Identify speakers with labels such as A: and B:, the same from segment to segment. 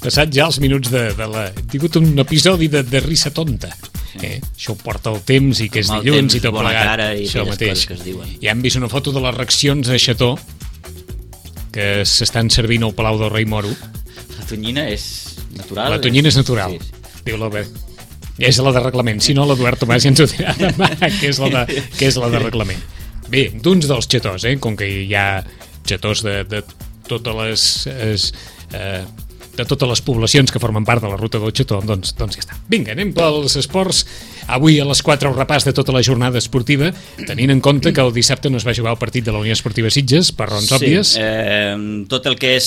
A: Passat ja els minuts de la... He tingut un episodi de risa tonta. Això ho porta el temps i que és dilluns i tot plegat. Això mateix. Ja hem vist una foto de les reaccions a Xató que s'estan servint al Palau del Rei Moro.
B: La tonyina és natural?
A: La tonyina és natural. Sí. Diu l'Albert. És la de reglament. Si no, l'Eduard Tomàs ja ens ho dirà demà, que és la de reglament. Bé, d'uns dels xatós, com que hi ha xatós de totes les poblacions que formen part de la ruta del Xató, doncs ja està. Vinga, anem pels esports. Avui a les 4 el repàs de tota la jornada esportiva, tenint en compte que el dissabte no es va jugar el partit de la Unió Esportiva Sitges, per raons òbvies.
B: Tot el que és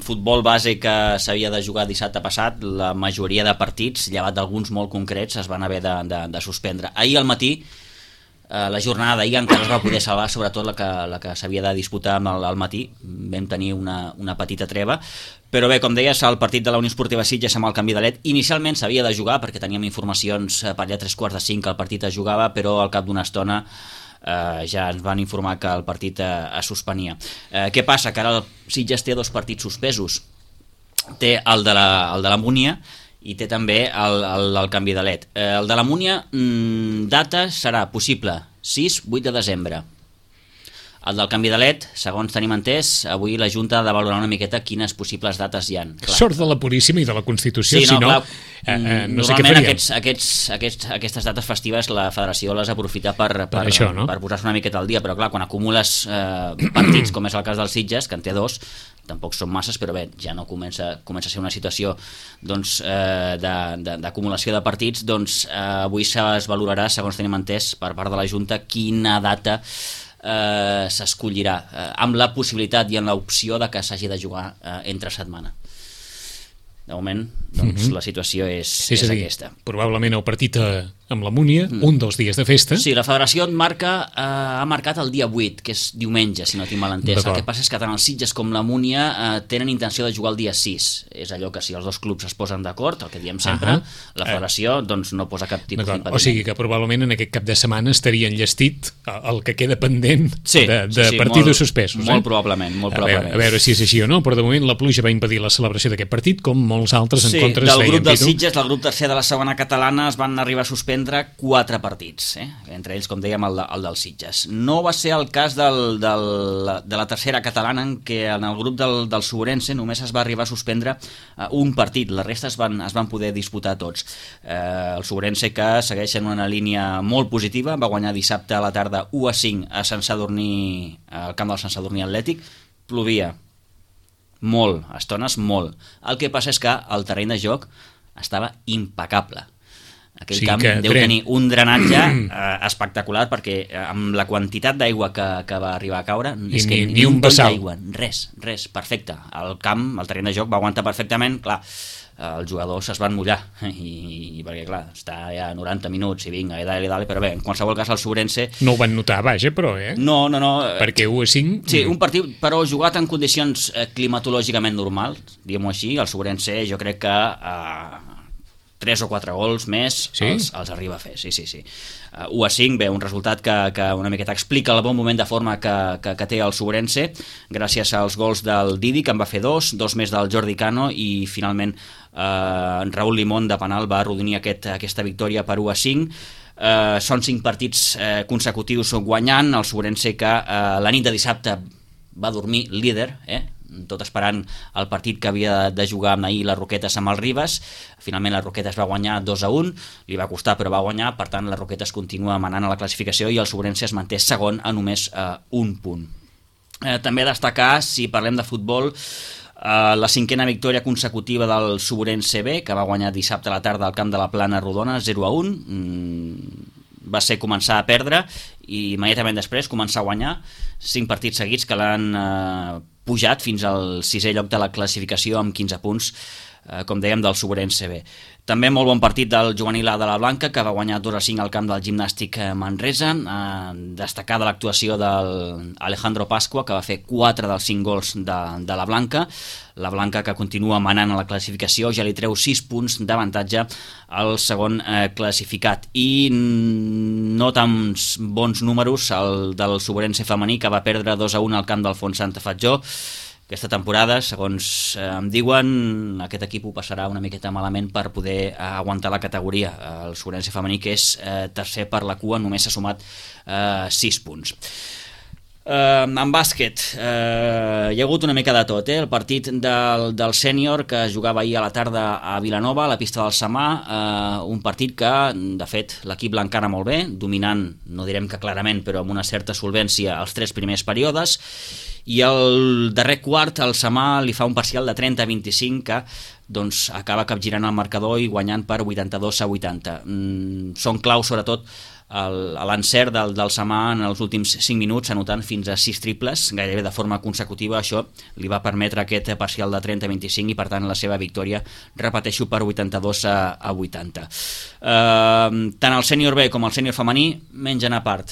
B: futbol base que s'havia de jugar dissabte passat, la majoria de partits, llevat d'alguns molt concrets, es van haver de suspendre. Ahir al matí, la jornada d'ahir encara es va poder salvar, sobretot la que s'havia de disputar al matí. Vam tenir una petita treva, però bé, com deies, el partit de la Unió Esportiva Sitges amb el canvi de led inicialment s'havia de jugar perquè teníem informacions per allà 3:45 que el partit es jugava, però al cap d'una estona ja ens van informar que el partit es suspenia. Què passa? Que ara el Sitges té 2 partits suspesos. Té el de la Múnia i té també el canvi de led. El de la Múnia, data serà possible 6-8 de desembre. El del canvi de led, segons tenim entès, avui la Junta ha de valorar una miqueta quines possibles dates hi ha.
A: Sort de la Puríssima i de la Constitució, si no, no sé què faríem.
B: Aquestes dates festives la Federació les aprofita per posar-se una miqueta al dia, però clar, quan acumules partits, com és el cas dels Sitges, que en té 2, tampoc són masses, però bé, ja no comença a ser una situació d'acumulació de partits, doncs avui es valorarà, segons tenim entès, per part de la Junta, quina data s'escollirà, amb la possibilitat i amb l'opció de que s'hagi de jugar entre setmana. De moment, doncs, la situació és aquesta.
A: Probablement el partit amb la Múnia, un dels dies de festa.
B: Sí, la federació ha marcat el dia 8, que és diumenge, si no tinc mal entès. El que passa és que tant els Sitges com la Múnia tenen intenció de jugar el dia 6. És allò que si els dos clubs es posen d'acord, el que diem sempre, la federació doncs, no posa cap tipus d'impediment.
A: O sigui que probablement en aquest cap de setmana estaria enllestit el que queda pendent de partits suspesos.
B: Molt probablement.
A: A veure si és així o no, però de moment la pluja va impedir la celebració d'aquest partit, com molts altres en contra es
B: del grup dels Sitges, del grup tercer de la segona catalana, es van arribar a suspendre 4 partits, entre ells, com dèiem, el dels Sitges. No va ser el cas de la tercera catalana, en què en el grup del Sobrense només es va arribar a suspendre un partit, la resta es van poder disputar tots. El Sobrense, que segueix en una línia molt positiva, va guanyar dissabte a la tarda 1-5 a Sant Sadurní, al camp del Sant Sadurní Atlètic. Plovia molt, a estones molt. El que passa és que el terreny de joc estava impecable. Aquell camp deu tenir un drenatge espectacular, perquè amb la quantitat d'aigua que va arribar a caure, és que ni un vessal d'aigua, res, perfecte. El terreny de joc va aguantar perfectament. Clar, els jugadors es van mullar perquè clar, està ja 90 minuts i vinga, dale, però bé, en qualsevol cas el Sobrense
A: no ho van notar, vaja, però
B: no,
A: perquè 1-5
B: sí, un partit però jugat en condicions climatològicament normals, diguem-ho així. El Sobrense jo crec que 3 o 4 gols més els arriba a fer, sí. 1-5, bé, un resultat que una miqueta explica el bon moment de forma que té el Sobrense, gràcies als gols del Didi, que en va fer 2 més del Jordi Cano, i finalment Raúl Limón de penal va arrodonir aquesta victòria per 1-5. Són 5 partits consecutius guanyant. El Sobrense, que la nit de dissabte va dormir líder, tot esperant el partit que havia de jugar amb ahir les Roquetes amb el Ribes. Finalment les Roquetes va guanyar 2-1, li va costar però va guanyar, per tant les Roquetes continua manant a la classificació i el Sobrense es manté segon a només un punt. També destacar, si parlem de futbol, la 5a victòria consecutiva del Sobrense B, que va guanyar dissabte a la tarda al camp de la Plana Rodona 0-1. Va ser començar a perdre i immediatament després començar a guanyar. 5 partits seguits que l'han pujat fins al 6è lloc de la classificació amb 15 punts, com dèiem, del Sobrense B. També molt bon partit del juvenil A de la Blanca, que va guanyar 2-5 al camp del Gimnàstic Manresa. Destacar de l'actuació d'Alejandro Pascua, que va fer 4 dels 5 gols de la Blanca. La Blanca, que continua manant a la classificació, ja li treu 6 punts d'avantatge al segon classificat. I no tan bons números el del Sobrense femení, que va perdre 2-1 al camp del Font Santa Fatjó. Aquesta temporada, segons em diuen, aquest equip ho passarà una miqueta malament per poder aguantar la categoria. El Sobrense femení, que és tercer per la cua, només s'ha sumat 6 punts. En bàsquet hi ha hagut una mica de tot, el partit del sènior que jugava ahir a la tarda a Vilanova, a la pista del Samà, un partit que de fet l'equip l'encara molt bé, dominant, no direm que clarament, però amb una certa solvència els 3 primers períodes, i el darrer quart el Samà li fa un parcial de 30-25 que doncs, acaba capgirant el marcador i guanyant per 82-80. Són claus sobretot l'encert del Samà en els últims 5 minuts, anotant fins a 6 triples, gairebé de forma consecutiva. Això li va permetre aquest parcial de 30-25 i per tant la seva victòria, repeteixo, per 82-80. Tant el sènior B com el sènior femení mengen a part,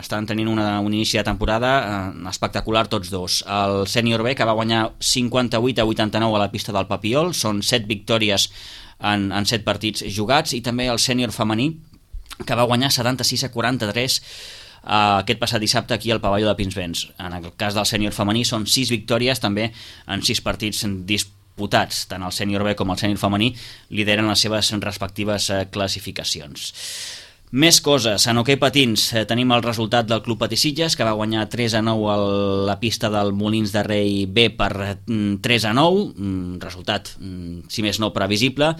B: estan tenint un inici de temporada espectacular tots dos. El sènior B, que va guanyar 58-89 a la pista del Papiol, són 7 victòries en 7 partits jugats, i també el sènior femení, que va guanyar 76-43 aquest passat dissabte aquí al pavelló de Pinsbens. En el cas del sènior femení són 6 victòries també en 6 partits disputats. Tant el sènior B com el sènior femení lideren les seves respectives classificacions. Més coses. En hoquei patins tenim el resultat del Club Patisitges, que va guanyar 3-9 a la pista del Molins de Rei B per 3-9, resultat, si més no, previsible.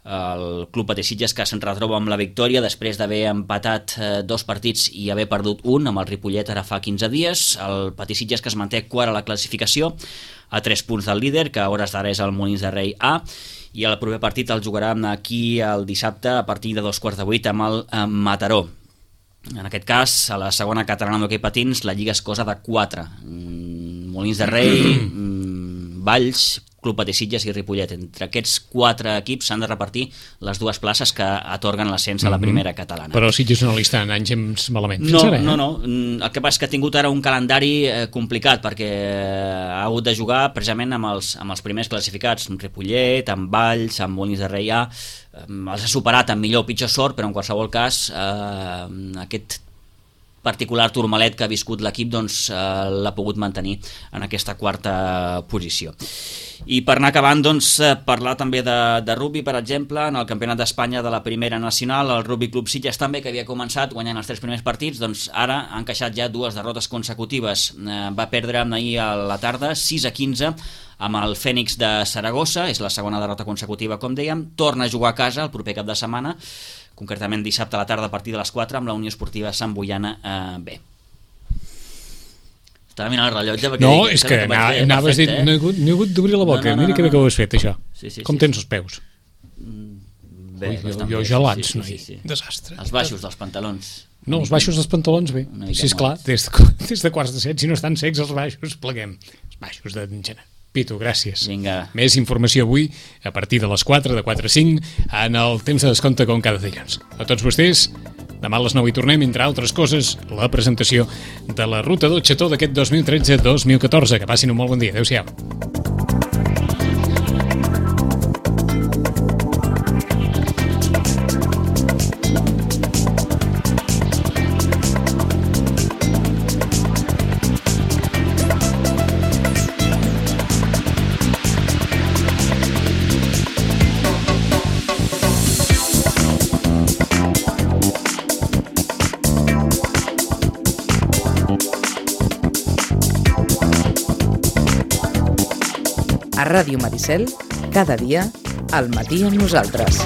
B: El Club Patisitges, que se'n retroba amb la victòria després d'haver empatat 2 partits i haver perdut un amb el Ripollet ara fa 15 dies. El Patisitges, que es manté quart a la classificació a 3 punts del líder, que a hores d'ara és el Molins de Rei A, i el proper partit el jugarà aquí el dissabte a partir de 2:15 amb el Mataró. En aquest cas, a la segona catalana d'hoquei patins, la lliga es cosa de 4. Molins de Rei, Valls, Club Patisitges i Ripollet. Entre aquests 4 equips s'han de repartir les 2 places que atorguen l'ascens a la primera catalana.
A: Però Sitges no li està en anys malament.
B: No. El que passa és que ha tingut ara un calendari complicat, perquè ha hagut de jugar precisament amb els primers classificats, amb Ripollet, amb Valls, amb Molins de Rei A. Els ha superat amb millor o pitjor sort, però en qualsevol cas aquest particular turmalet que ha viscut l'equip doncs, l'ha pogut mantenir en aquesta 4a posició. I per anar acabant, doncs, parlar també de rugby, per exemple, en el Campionat d'Espanya de la Primera Nacional, el Rugby Club Sitges també, que havia començat guanyant els 3 primers partits, doncs ara ha encaixat ja 2 derrotes consecutives. Va perdre ahir a la tarda 6-15 amb el Fènix de Saragossa, és la segona derrota consecutiva, com dèiem. Torna a jugar a casa el proper cap de setmana, concretament dissabte a la tarda a partir de les 4 amb la Unió Esportiva Sant Boiana B. Estava mirant el rellotge perquè...
A: No, és que anaves dit, no he hagut d'obrir la boca. Mira que bé que ho has fet, això. Com tens els peus?
B: Bé,
A: jo gelats, noi. Desastre.
B: Els baixos dels pantalons.
A: No, els baixos dels pantalons, bé. Sí, esclar, des de quarts de 7, si no estan secs els baixos, pleguem. Els baixos d'engenar. Pitu, gràcies.
B: Vinga.
A: Més informació avui, a partir de les 4, de 4 a 5, en el temps de descompte com cada dilluns. A tots vostès, demà a les 9 hi tornem, entre altres coses, la presentació de la Ruta del Xató d'aquest 2013-2014. Que passin un molt bon dia. Adéu-siau.
C: A Ràdio Maricel, cada dia, al matí amb nosaltres.